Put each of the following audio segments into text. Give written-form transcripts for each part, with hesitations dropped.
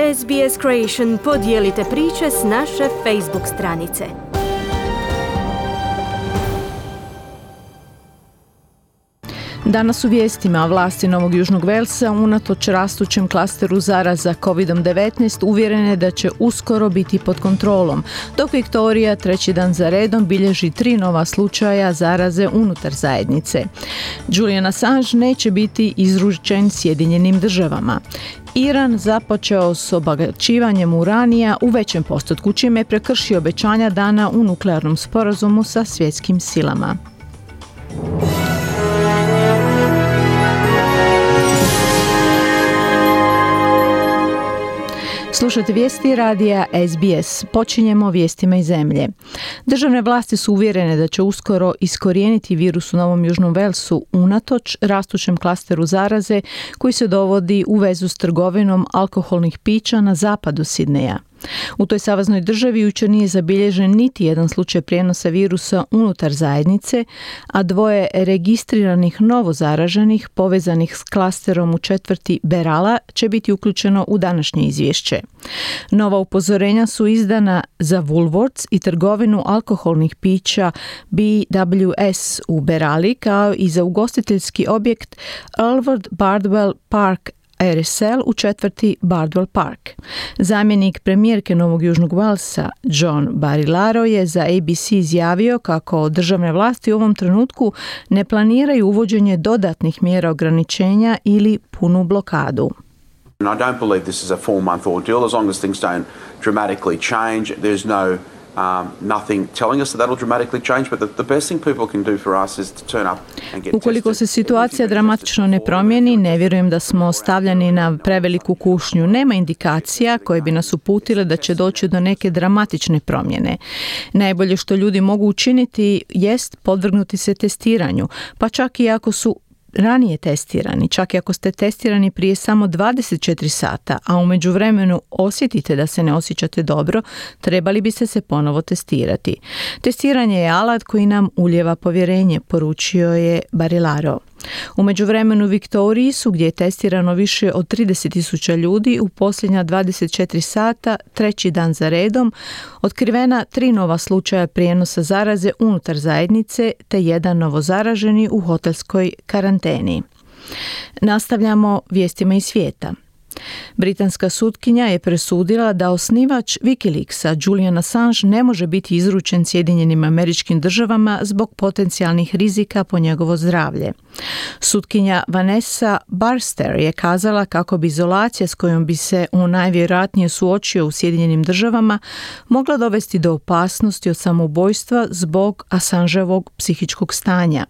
SBS Creation podijelite priče s naše Facebook stranice. Danas u vijestima vlasti Novog Južnog Velsa unatoč rastućem klasteru zaraza COVID-19 uvjerene da će uskoro biti pod kontrolom, dok Viktorija treći dan za redom bilježi 3 nova slučaja zaraze unutar zajednice. Julian Assange neće biti izručen Sjedinjenim državama. Iran započeo s obogaćivanjem uranija u većem postotku, čime je prekršio obećanja dana u nuklearnom sporazumu sa svjetskim silama. Slušajte vijesti radija SBS. Počinjemo vijestima iz zemlje. Državne vlasti su uvjerene da će uskoro iskorijeniti virus u Novom Južnom Velsu unatoč rastućem klasteru zaraze koji se dovodi u vezu s trgovinom alkoholnih pića na zapadu Sidneja. U toj saveznoj državi jučer nije zabilježen niti jedan slučaj prijenosa virusa unutar zajednice, a 2 registriranih novozaraženih povezanih s klasterom u četvrti Berala će biti uključeno u današnje izvješće. Nova upozorenja su izdana za Woolworths i trgovinu alkoholnih pića BWS u Berali, kao i za ugostiteljski objekt Alvord Bardwell Park RSL u četvrti Bardwell Park. Zamjenik premijerke Novog Južnog Velsa John Barilaro je za ABC izjavio kako državne vlasti u ovom trenutku ne planiraju uvođenje dodatnih mjera ograničenja ili punu blokadu. I don't believe this is a 4-month ordeal. As long as things don't dramatically change, there's nothing telling us that that'll dramatically change, but the best thing people can do for us is to turn up and get Ukoliko se situacija dramatično ne promijeni, ne vjerujem da smo stavljeni na preveliku kušnju. Nema indikacija koje bi nas uputile da će doći do neke dramatične promjene. Najbolje što ljudi mogu učiniti jest podvrgnuti se testiranju, pa čak i ako su ranije testirani, čak i ako ste testirani prije samo 24 sata, a u međuvremenu osjetite da se ne osjećate dobro, trebali biste se ponovo testirati. Testiranje je alat koji nam ulijeva povjerenje, poručio je Barilaro. U međuvremenu Viktoriji su, gdje je testirano više od 30.000 ljudi, u posljednja 24 sata, treći dan za redom, otkrivena 3 nova slučaja prijenosa zaraze unutar zajednice te 1 novozaraženi u hotelskoj karanteni. Nastavljamo vijestima iz svijeta. Britanska sutkinja je presudila da osnivač Wikileaksa Julian Assange ne može biti izručen Sjedinjenim Američkim Državama zbog potencijalnih rizika po njegovo zdravlje. Sutkinja Vanessa Barster je kazala kako bi izolacija s kojom bi se on najvjerojatnije suočio u Sjedinjenim Državama mogla dovesti do opasnosti od samoubojstva zbog Assangeovog psihičkog stanja.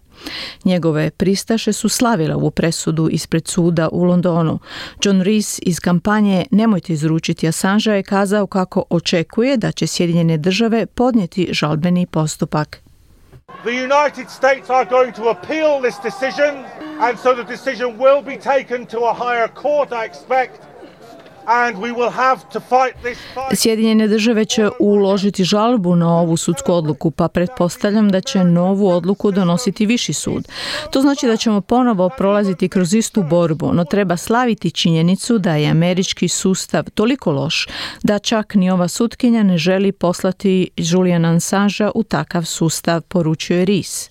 Njegove pristaše su slavile ovu presudu ispred suda u Londonu. John Rees iz kampanje Nemojte izručiti Assangea je kazao kako očekuje da će Sjedinjene Države podnijeti žalbeni postupak. The United States are going to appeal this decision, and so the decision will be taken to a higher court, I expect. And we will have to fight this fight. Sjedinjene Države će uložiti žalbu na ovu sudsku odluku, pa pretpostavljam da će novu odluku donositi viši sud. To znači da ćemo ponovo prolaziti kroz istu borbu, no treba slaviti činjenicu da je američki sustav toliko loš da čak ni ova sutkinja ne želi poslati Juliana Assangea u takav sustav, poručuje Rees.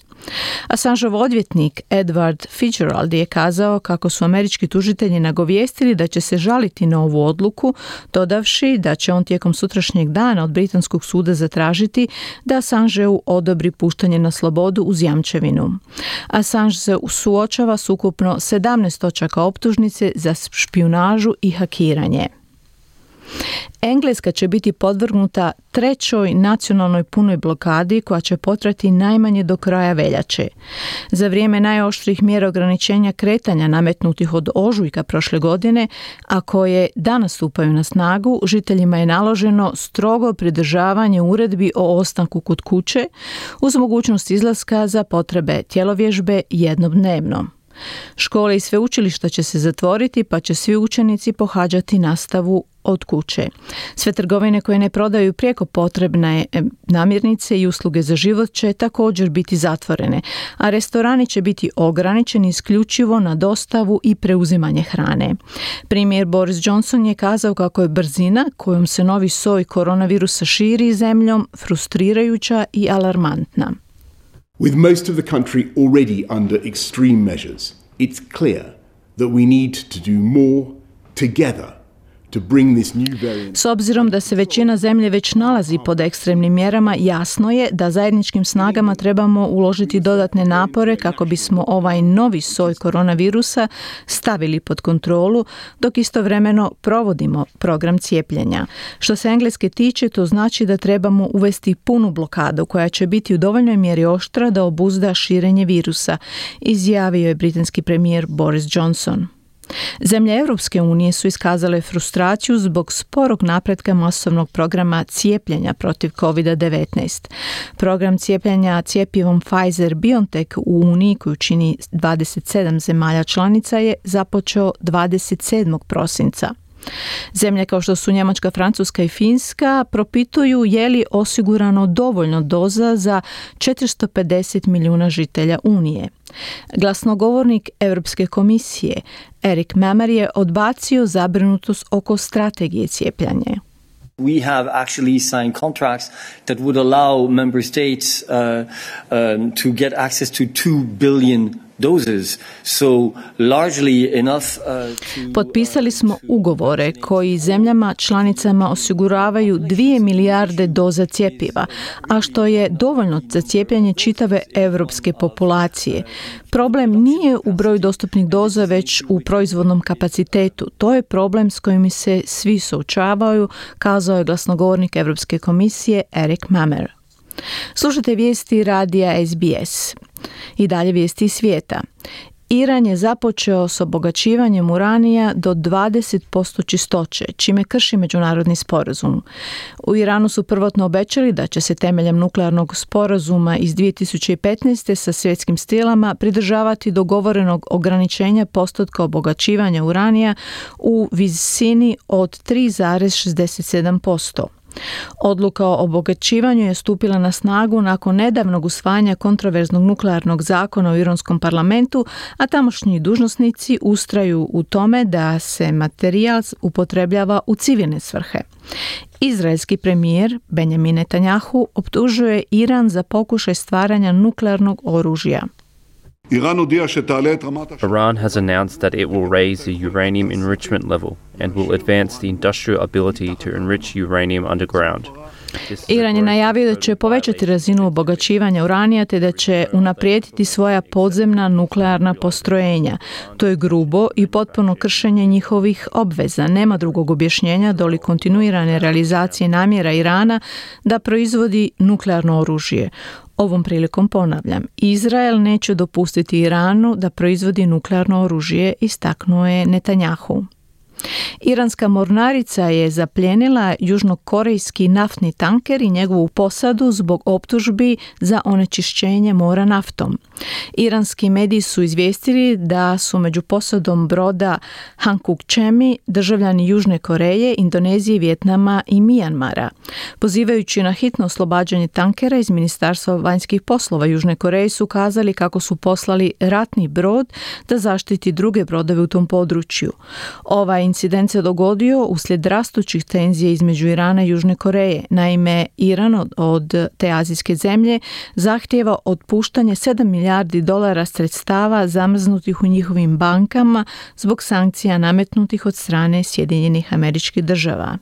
Assangeov odvjetnik Edward Fitzgerald je kazao kako su američki tužitelji nagovijestili da će se žaliti na ovu odluku, dodavši da će on tijekom sutrašnjeg dana od britanskog suda zatražiti da Assangeu odobri puštanje na slobodu uz jamčevinu. Assange se suočava s ukupno 17 točaka optužnice za špijunažu i hakiranje. Engleska će biti podvrgnuta 3. nacionalnoj punoj blokadi koja će potrajati najmanje do kraja veljače. Za vrijeme najoštrijih mjera ograničenja kretanja nametnutih od ožujka prošle godine, a koje danas stupaju na snagu, žiteljima je naloženo strogo pridržavanje uredbi o ostanku kod kuće uz mogućnost izlaska za potrebe tjelovježbe jednodnevno. Škole i sveučilišta će se zatvoriti, pa će svi učenici pohađati nastavu od kuće. Sve trgovine koje ne prodaju prijeko potrebne namirnice i usluge za život će također biti zatvorene, a restorani će biti ograničeni isključivo na dostavu i preuzimanje hrane. Premijer Boris Johnson je kazao kako je brzina kojom se novi soj koronavirusa širi zemljom frustrirajuća i alarmantna. With most of the country already under extreme measures, it's clear that we need to do more together to bring this new variant. S obzirom da se većina zemlje već nalazi pod ekstremnim mjerama, jasno je da zajedničkim snagama trebamo uložiti dodatne napore kako bismo ovaj novi soj koronavirusa stavili pod kontrolu, dok istovremeno provodimo program cijepljenja. Što se Engleske tiče, to znači da trebamo uvesti punu blokadu koja će biti u dovoljnoj mjeri oštra da obuzda širenje virusa, izjavio je britanski premijer Boris Johnson. Zemlje Europske unije su iskazale frustraciju zbog sporog napretka masovnog programa cijepljenja protiv COVID-19. Program cijepljenja cjepivom Pfizer-BioNTech u Uniji, koju čini 27 zemalja članica, je započeo 27. prosinca. Zemlje kao što su Njemačka, Francuska i Finska propituju je li osigurano dovoljno doza za 450 milijuna žitelja Unije. Glasnogovornik Europske komisije Erik Mamer je odbacio zabrinutost oko strategije cijepljenja. We have actually signed contracts that would allow member states to get access to 2 billion doses. So largely enough Potpisali smo ugovore koji zemljama članicama osiguravaju 2 milijarde doza cjepiva, a što je dovoljno za cijepljenje čitave europske populacije. Problem nije u broju dostupnih doza, već u proizvodnom kapacitetu. To je problem s kojim se svi suočavaju, kazao je glasnogovornik Europske komisije Erik Mamer. Slušajte vijesti radija SBS. I dalje vijesti iz svijeta. Iran je započeo s obogaćivanjem uranija do 20% čistoće, čime krši međunarodni sporazum. U Iranu su prvotno obećali da će se temeljem nuklearnog sporazuma iz 2015. sa svjetskim stilama pridržavati dogovorenog ograničenja postotka obogaćivanja uranija u visini od 3,67%. Odluka o obogaćivanju je stupila na snagu nakon nedavnog usvajanja kontroverznog nuklearnog zakona u iranskom parlamentu, a tamošnji dužnosnici ustraju u tome da se materijal upotrebljava u civilne svrhe. Izraelski premijer Benjamin Netanjahu optužuje Iran za pokušaj stvaranja nuklearnog oružja. Iran has announced that it will raise the uranium enrichment level and will advance the industrial ability to enrich uranium underground. Iran je najavio da će povećati razinu obogaćivanja uranija te da će unaprijediti svoja podzemna nuklearna postrojenja. To je grubo i potpuno kršenje njihovih obveza. Nema drugog objašnjenja doli kontinuirane realizacije namjera Irana da proizvodi nuklearno oružje. Ovom prilikom ponavljam, Izrael neće dopustiti Iranu da proizvodi nuklearno oružje, istaknuo je Netanjahu. Iranska mornarica je zapljenila južnokorejski naftni tanker i njegovu posadu zbog optužbi za onečišćenje mora naftom. Iranski mediji su izvijestili da su među posadom broda Hankook Chemi državljani Južne Koreje, Indonezije, Vijetnama i Mijanmara. Pozivajući na hitno oslobađanje tankera iz Ministarstva vanjskih poslova Južne Koreje su kazali kako su poslali ratni brod da zaštiti druge brodove u tom području. Ovaj incident se dogodio uslijed rastućih tenzija između Irana i Južne Koreje. Naime, Iran od te azijske zemlje zahtijeva otpuštanje $7 milijardi sredstava zamrznutih u njihovim bankama zbog sankcija nametnutih od strane Sjedinjenih Američkih Država.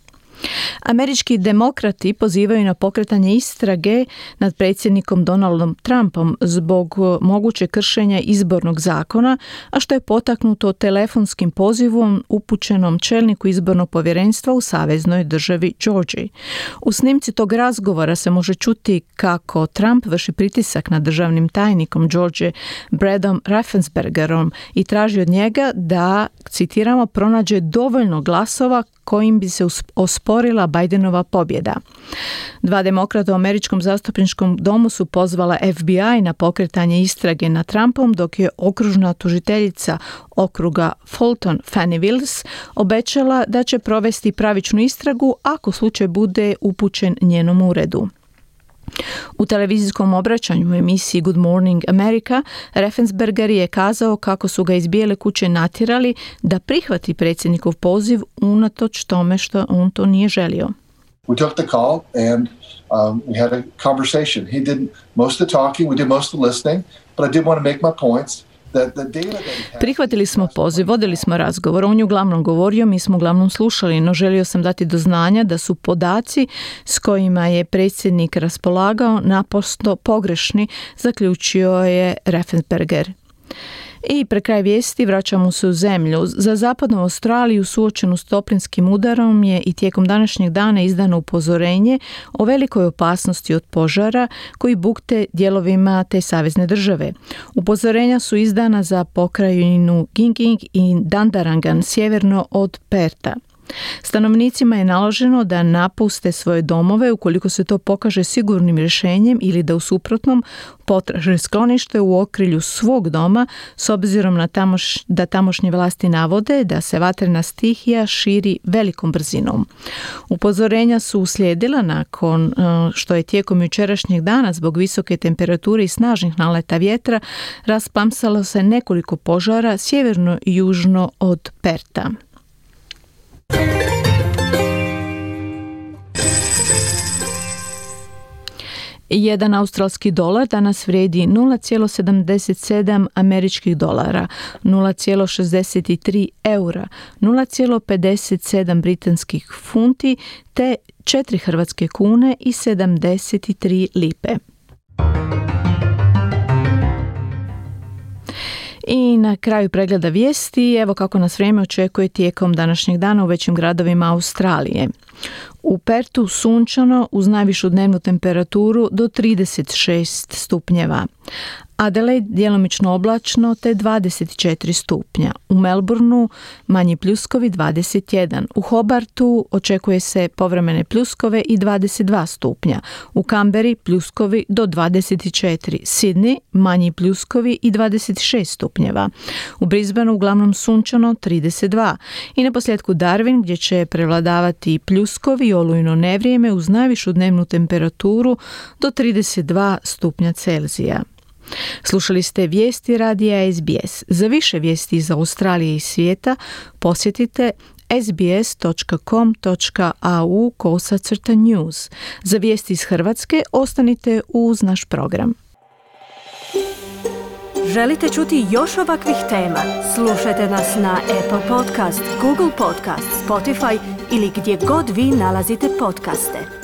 Američki demokrati pozivaju na pokretanje istrage nad predsjednikom Donaldom Trumpom zbog moguće kršenja izbornog zakona, a što je potaknuto telefonskim pozivom upućenom čelniku izbornog povjerenstva u saveznoj državi Georgiji. U snimci tog razgovora se može čuti kako Trump vrši pritisak na državnim tajnikom Georgije Bradom Raffenspergerom i traži od njega da, citiramo, pronađe dovoljno glasova kojim bi se osporio usporila Bidenova pobjeda. 2 demokrata u američkom zastupničkom domu su pozvala FBI na pokretanje istrage nad Trumpom, dok je okružna tužiteljica okruga Fulton Fani Willis obećala da će provesti pravičnu istragu ako slučaj bude upućen njenom uredu. U televizijskom obraćanju u emisiji Good Morning America, Raffensperger je kazao kako su ga iz Bijele kuće natjerali da prihvati predsjednikov poziv unatoč tome što on to nije želio. We took the call and we had a conversation. He did most of the talking, we did most of the listening, but I did want to make my points. Prihvatili smo poziv, vodili smo razgovor, on je uglavnom govorio, mi smo uglavnom slušali, no želio sam dati do znanja da su podaci s kojima je predsjednik raspolagao naprosto pogrešni, zaključio je Raffensperger. I pre kraj vijesti vraćamo se u zemlju. Za zapadnu Australiju suočenu s toplinskim udarom je i tijekom današnjeg dana izdano upozorenje o velikoj opasnosti od požara koji bukte dijelovima te savezne države. Upozorenja su izdana za pokrajinu Ginging i Dandarangan sjeverno od Perta. Stanovnicima je naloženo da napuste svoje domove ukoliko se to pokaže sigurnim rješenjem ili da u suprotnom potraže sklonište u okrilju svog doma s obzirom na da tamošnje vlasti navode da se vatrena stihija širi velikom brzinom. Upozorenja su uslijedila nakon što je tijekom jučerašnjeg dana zbog visoke temperature i snažnih naleta vjetra rasplamsalo se nekoliko požara sjeverno i južno od Perta. Jedan australski dolar danas vrijedi 0,77 američkih dolara, 0,63 eura, 0,57 britanskih funti te 4 hrvatske kune i 73 lipe. I na kraju pregleda vijesti, evo kako nas vrijeme očekuje tijekom današnjeg dana u većim gradovima Australije. U Pertu sunčano uz najvišu dnevnu temperaturu do 36 stupnjeva. Adelaide djelomično oblačno te 24 stupnja. U Melbourneu manji pljuskovi 21. U Hobartu očekuje se povremene pljuskove i 22 stupnja. U Canberri pljuskovi do 24. Sydney manji pljuskovi i 26 stupnjeva. U Brisbaneu uglavnom sunčano 32. I na posljedku Darwin gdje će prevladavati pljuskovi i olujno nevrijeme uz najvišu dnevnu temperaturu do 32 stupnja Celzija. Slušali ste vijesti radija SBS. Za više vijesti iz Australije i svijeta posjetite sbs.com.au/news. Za vijesti iz Hrvatske ostanite uz naš program. Želite čuti još ovakvih tema? Slušajte nas na Apple Podcast, Google Podcast, Spotify ili gdje god vi nalazite podcaste.